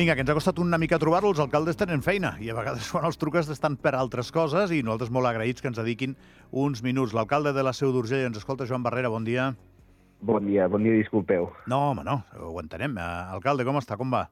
Vinga, que ens ha costat una mica trobar-lo, els alcaldes tenen feina i a vegades quan els truques estan per altres coses i nosaltres molt agraïts que ens dediquin uns minuts. L'alcalde de la Seu d'Urgell ens escolta, Joan Barrera, bon dia. Bon dia, disculpeu. No, home, no, ho entenem. Alcalde, com està, com va?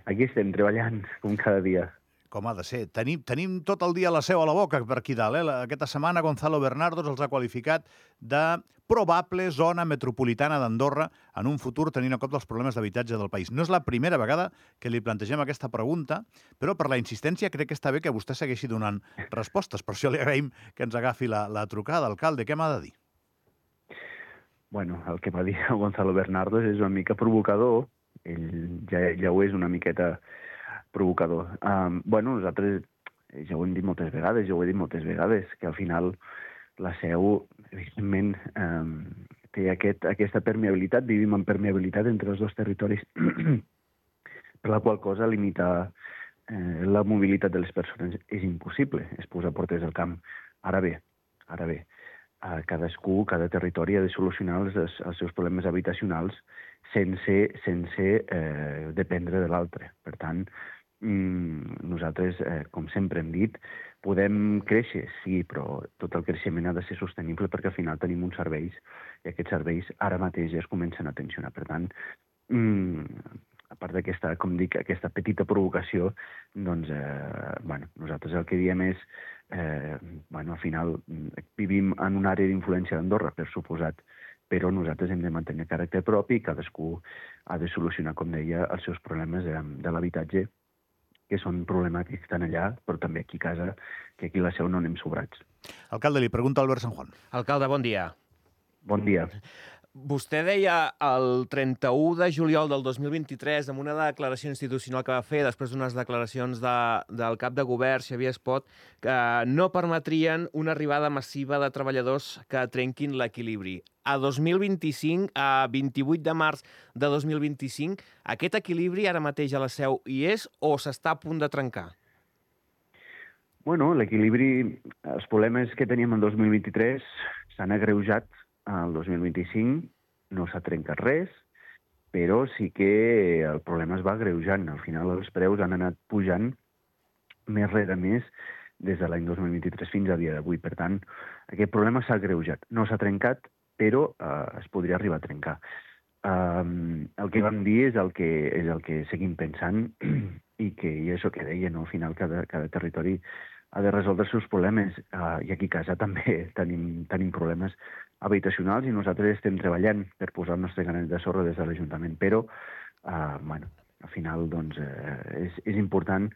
Aquí estem treballant, com cada dia. Com ha de ser. Tenim tot el dia la Seu a la boca per aquí dalt. Aquesta setmana Gonzalo Bernardos els ha qualificat de probable zona metropolitana d'Andorra en un futur tenint en compte els problemes d'habitatge del país. No és la primera vegada que li plantegem aquesta pregunta, però per la insistència crec que està bé que vostè segueixi donant respostes. Per això li agraïm que ens agafi la trucada. Alcalde, què m'ha de dir? Bueno, el que va dir Gonzalo Bernardos és una mica provocador. Ell ja ho és una miqueta provocador. Nosaltres, ja ho hem dit moltes vegades, que al final la Seu, evidentment, té aquesta permeabilitat, vivim en permeabilitat entre els dos territoris, per la qual cosa limitar la mobilitat de les persones és impossible, és posar portes al camp. Ara bé, cada territori ha de solucionar els seus problemes habitacionals sense dependre de l'altre. Per tant, nosaltres, com sempre hem dit, podem créixer, sí, però tot el creixement ha de ser sostenible perquè al final tenim uns serveis i aquests serveis ara mateix ja es comencen a tensionar. Per tant, a part d'aquesta, com dic, aquesta petita provocació, doncs, nosaltres el que diem és, al final vivim en una àrea d'influència d'Andorra, per suposat, però nosaltres hem de mantenir caràcter propi i cadascú ha de solucionar, com deia, els seus problemes de l'habitatge, que són problemàtics tant allà, però també aquí a casa, que aquí a la Seu no anem sobrats. Alcalde, li pregunta Albert San Juan. Alcalde, bon dia. Bon dia. Vostè deia el 31 de juliol del 2023, en una declaració institucional que va fer, després d'unes declaracions del cap de govern, Xavier Espot, que no permetrien una arribada massiva de treballadors que trenquin l'equilibri. A 2025, a 28 de març de 2025, aquest equilibri ara mateix a la Seu hi és o s'està a punt de trencar? Bueno, l'equilibri, els problemes que teníem el 2023 s'han agreujat al 2025, no s'ha trencat res, però sí que el problema es va agreujant. Al final els preus han anat pujant més rere més des de l'any 2023 fins a dia d'avui. Per tant, aquest problema s'ha agreujat. No s'ha trencat, però es podria arribar a trencar. El que vam dir és el que seguim pensant i això que deia, no? Al final cada territori ha de resoldre els seus problemes i aquí a casa també tenim problemes habitacionals i nosaltres estem treballant per posar el nostre granet de sorra des de l'Ajuntament, però al final doncs, és important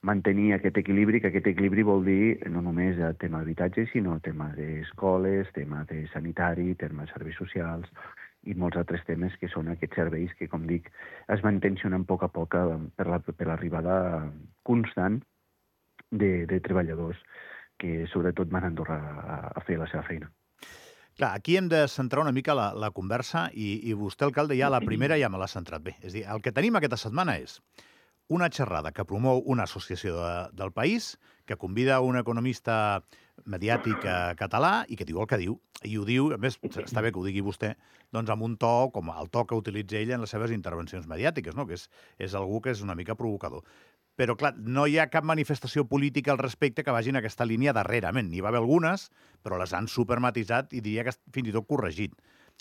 mantenir aquest equilibri, que aquest equilibri vol dir no només el tema d'habitatge, sinó tema d'escoles, tema de sanitari, tema de serveis socials i molts altres temes que són aquests serveis que, com dic, es van tensionant a poc per l'arribada constant de treballadors que sobretot van a Andorra a fer la seva feina. Clar, aquí hem de centrar una mica la conversa i vostè, alcalde, ja la primera ja me l'ha centrat bé. És a dir, el que tenim aquesta setmana és una xerrada que promou una associació del país, que convida un economista mediàtic català i que diu el que diu. I ho diu, a més, està bé que ho digui vostè, doncs amb un to com el to que utilitza ell en les seves intervencions mediàtiques, no? Que és algú que és una mica provocador. Però, clar, no hi ha cap manifestació política al respecte que vagi en aquesta línia darrerament. N'hi va haver algunes, però les han supermatitzat i diria que fins i tot corregit.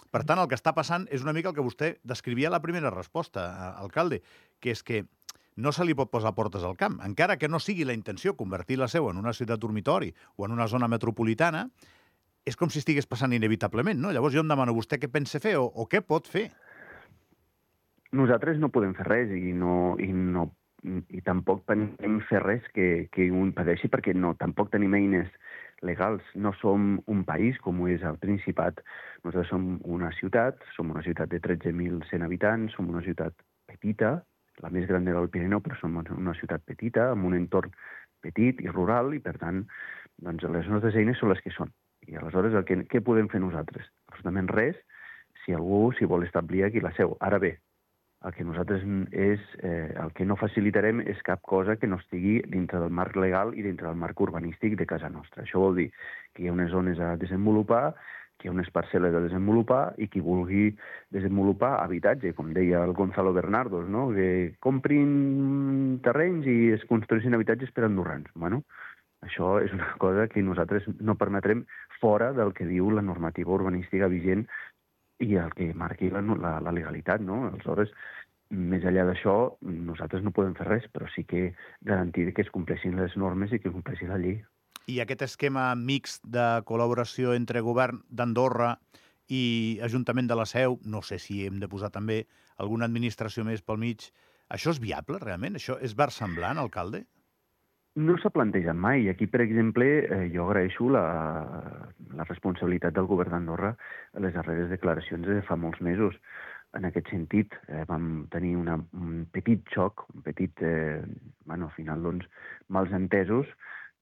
Per tant, el que està passant és una mica el que vostè descrivia a la primera resposta, alcalde, que és que no se li pot posar portes al camp. Encara que no sigui la intenció convertir la Seu en una ciutat dormitori o en una zona metropolitana, és com si estigués passant inevitablement, no? Llavors jo em demano vostè què pensa fer o què pot fer. Nosaltres no podem fer res i tampoc podem fer res que ho impedeixi perquè tampoc tenim eines legals. No som un país com ho és el Principat. Nosaltres som una ciutat de 13.100 habitants, som una ciutat petita, la més gran del Pirineu, però som una ciutat petita, amb un entorn petit i rural, i per tant, doncs, les nostres eines són les que són. I aleshores, què podem fer nosaltres? Absolutament res, si algú s'hi vol establir aquí a la Seu. Ara bé, el que nosaltres el que no facilitarem és cap cosa que no estigui dintre del marc legal i dintre del marc urbanístic de casa nostra. Això vol dir que hi ha unes zones a desenvolupar que hi ha unes parcel·les a desenvolupar i qui vulgui desenvolupar habitatge, com deia el Gonzalo Bernardos, no? Que comprin terrenys i es construeixin habitatges per andorrans. Bueno, això és una cosa que nosaltres no permetrem fora del que diu la normativa urbanística vigent i el que marqui la legalitat, no? Aleshores, més enllà d'això, nosaltres no podem fer res, però sí que garantir que es compleixin les normes i que es compleixi la llei. I aquest esquema mixt de col·laboració entre govern d'Andorra i Ajuntament de la Seu, no sé si hem de posar també alguna administració més pel mig, això és viable, realment? Això és versemblant, alcalde? No s'ha plantejat mai. Aquí, per exemple, jo agraeixo la responsabilitat del govern d'Andorra a les darreres declaracions de fa molts mesos. En aquest sentit, vam tenir un petit xoc, al final, doncs, mals entesos,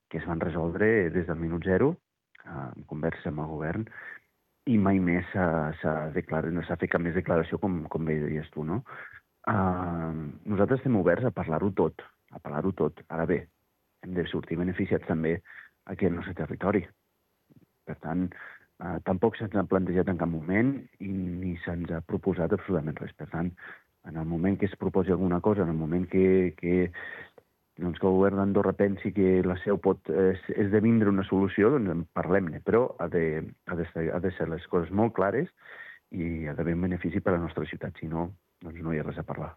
que es van resoldre des del minut zero, en conversa amb el govern, i mai més s'ha fet cap més declaració, com bé deies tu, no? Nosaltres estem oberts a parlar-ho tot, Ara bé, hem de sortir beneficiats també aquí al nostre territori. Per tant, tampoc se'ns ha plantejat en cap moment i ni se'ns ha proposat absolutament res. Per tant, en el moment que es proposi alguna cosa, en el moment que el govern d'Andorra pensi que la Seu pot esdevindre una solució, doncs en parlem-ne. Però ha de ser les coses molt clares i ha d'haver un benefici per a la nostra ciutat. Si no, doncs no hi ha res a parlar.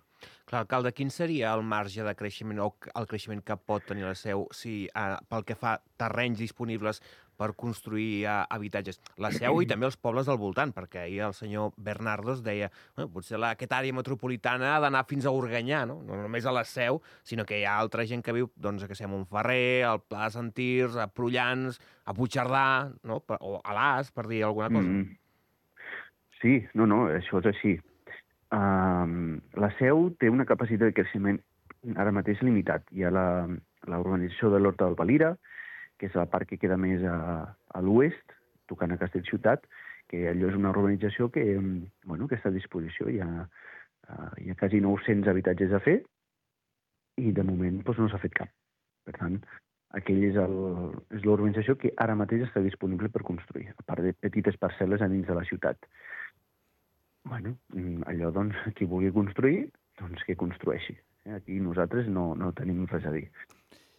Clar, alcalde, quin seria el marge de creixement o el creixement que pot tenir la Seu si, pel que fa terrenys disponibles per construir habitatges? La Seu i també els pobles del voltant, perquè ahir el senyor Bernardos deia potser aquesta àrea metropolitana ha d'anar fins a Organyà, no només a la Seu, sinó que hi ha altra gent que viu doncs, a Montferrer, al Pla de Sant Tirs, a Prullans, a Puigcerdà, no? O a l'As, per dir alguna cosa. Sí, això és així. La Seu té una capacitat de creixement ara mateix limitat. Hi ha la urbanització de l'Horta del Valira, que és la part que queda més a l'oest, tocant a Castellciutat, que allò és una urbanització que està a disposició. Hi ha quasi 900 habitatges a fer i de moment no s'ha fet cap. Per tant, aquell és l'urbanització que ara mateix està disponible per construir, a part de petites parcel·les a dins de la ciutat. Allò, doncs, qui vulgui construir, doncs que construeixi. Aquí nosaltres no tenim res a dir.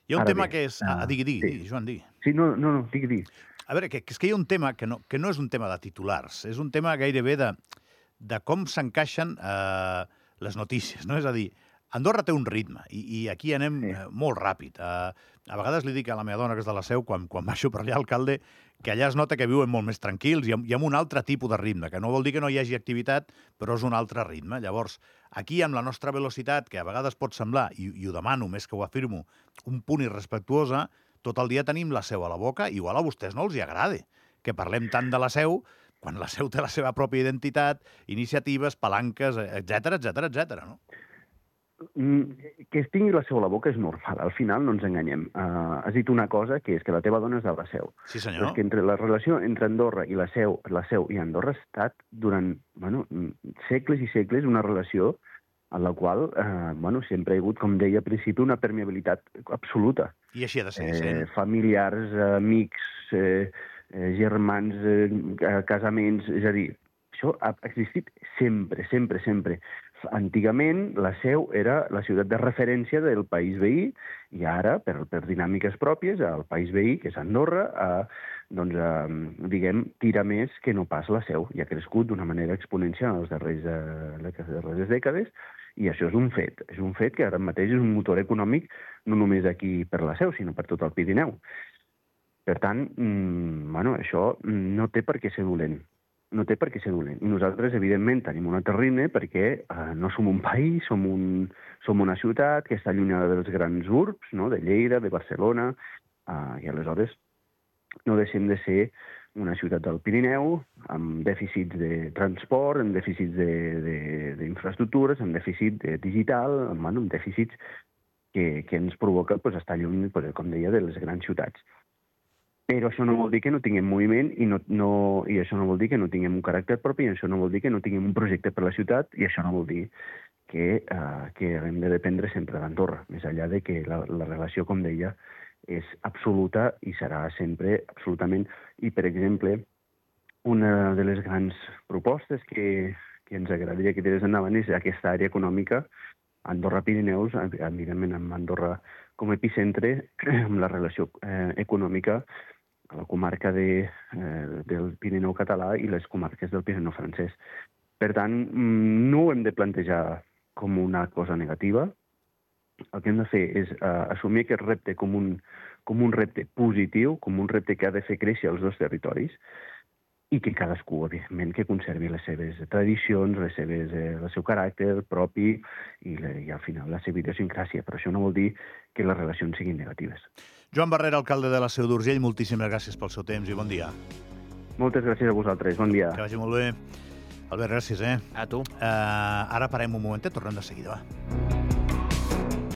Hi ha un tema que és... Digui, Joan, digui. Sí, no, digui. A veure, és que hi ha un tema que no és un tema de titulars, és un tema gairebé de com s'encaixen les notícies, no? És a dir, Andorra té un ritme i aquí anem molt ràpid. A vegades li dic a la meva dona, que és de la Seu, quan baixo per allà, alcalde, que allà es nota que viuen molt més tranquils i amb un altre tipus de ritme, que no vol dir que no hi hagi activitat, però és un altre ritme. Llavors, aquí, amb la nostra velocitat, que a vegades pot semblar, i ho demano més que ho afirmo, un punt irrespectuosa, tot el dia tenim la Seu a la boca, igual a vostès no els hi agrada que parlem tant de la Seu, quan la Seu té la seva pròpia identitat, iniciatives, palanques, etc., no? Que es tingui la Seu a la boca és normal. Al final no ens enganyem. Has dit una cosa, que és que la teva dona és de la Seu. Sí, senyor. És que la relació entre Andorra i la Seu i Andorra ha estat durant segles i segles una relació en la qual sempre hi ha hagut, com deia al principi, una permeabilitat absoluta. I així ha de ser. Familiars, amics, germans, casaments... És a dir, això ha existit sempre, sempre, sempre. Antigament, la Seu era la ciutat de referència del país veí i ara, per dinàmiques pròpies, el país veí, que és Andorra, tira més que no pas la Seu. I ha crescut d'una manera exponencial en les darreres dècades i això és un fet. És un fet que ara mateix és un motor econòmic no només aquí per la Seu, sinó per tot el Pirineu. Per tant, això no té per què ser dolent. I nosaltres, evidentment, tenim un altre ritme perquè no som un país, som una ciutat que està allunyada dels grans urbs, no? De Lleida, de Barcelona, i aleshores no deixem de ser una ciutat del Pirineu amb dèficits de transport, amb dèficits d'infraestructures, amb dèficit digital, amb dèficits que ens provoca estar lluny, com deia, de les grans ciutats. Però això no vol dir que no tinguem moviment i això no vol dir que no tinguem un caràcter propi i això no vol dir que no tinguem un projecte per la ciutat i això no vol dir que hem de dependre sempre d'Andorra, més enllà de que la relació, com deia, és absoluta i serà sempre absolutament. I, per exemple, una de les grans propostes que ens agradaria que tirés endavant és aquesta àrea econòmica Andorra-Pirineus, evidentment amb Andorra com a epicentre, amb la relació econòmica a la comarca del Pirineu català i les comarques del Pirineu francès. Per tant, no ho hem de plantejar com una cosa negativa. El que hem de fer és assumir aquest repte com un repte positiu, com un repte que ha de fer créixer els dos territoris i que cadascú, evidentment, que conservi les seves tradicions, el seu caràcter propi i al final la seva idiosincràsia. Però això no vol dir que les relacions siguin negatives. Joan Barrera, alcalde de la Seu d'Urgell, moltíssimes gràcies pel seu temps i bon dia. Moltes gràcies a vosaltres. Bon dia. Que vagi molt bé. Albert, gràcies, A tu. Ara parem un momentet, tornem de seguida, va.